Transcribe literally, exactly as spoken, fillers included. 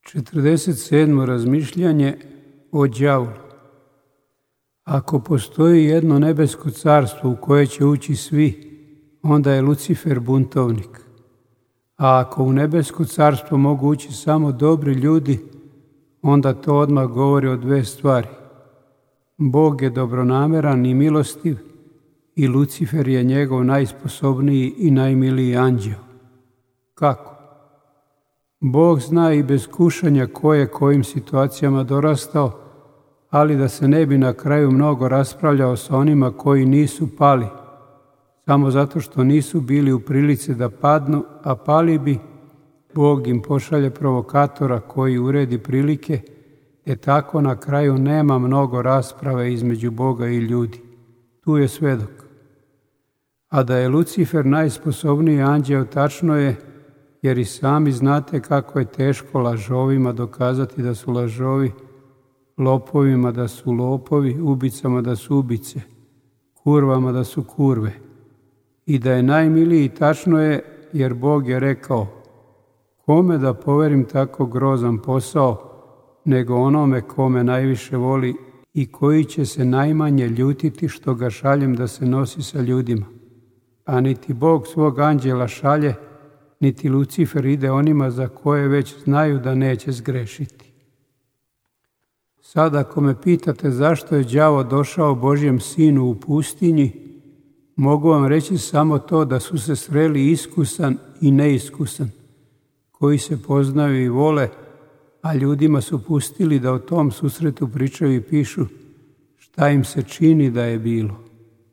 četrdeset sedmo razmišljanje o đavolu. Ako postoji jedno nebesko carstvo u koje će ući svi, onda je Lucifer buntovnik. A ako u nebesko carstvo mogu ući samo dobri ljudi, onda to odmah govori o dve stvari. Bog je dobronameran i milostiv i Lucifer je njegov najsposobniji i najmiliji anđeo. Kako? Bog zna i bez kušanja ko je kojim situacijama dorastao, ali da se ne bi na kraju mnogo raspravljao sa onima koji nisu pali, samo zato što nisu bili u prilici da padnu, a pali bi, Bog im pošalje provokatora koji uredi prilike, te tako na kraju nema mnogo rasprave između Boga i ljudi. Tu je svedok. A da je Lucifer najsposobniji anđeo, tačno je, jer i sami znate kako je teško lažovima dokazati da su lažovi, lopovima da su lopovi, ubicama da su ubice, kurvama da su kurve. I da je najmiliji, tačno je, jer Bog je rekao: kome da poverim tako grozan posao, nego onome kome najviše voli i koji će se najmanje ljutiti što ga šaljem da se nosi sa ljudima. A niti Bog svog anđela šalje, niti Lucifer ide onima za koje već znaju da neće zgrešiti. Sad ako me pitate zašto je đavo došao Božjem sinu u pustinji, mogu vam reći samo to da su se sreli iskusan i neiskusan, koji se poznaju i vole, a ljudima su pustili da o tom susretu pričaju i pišu šta im se čini da je bilo.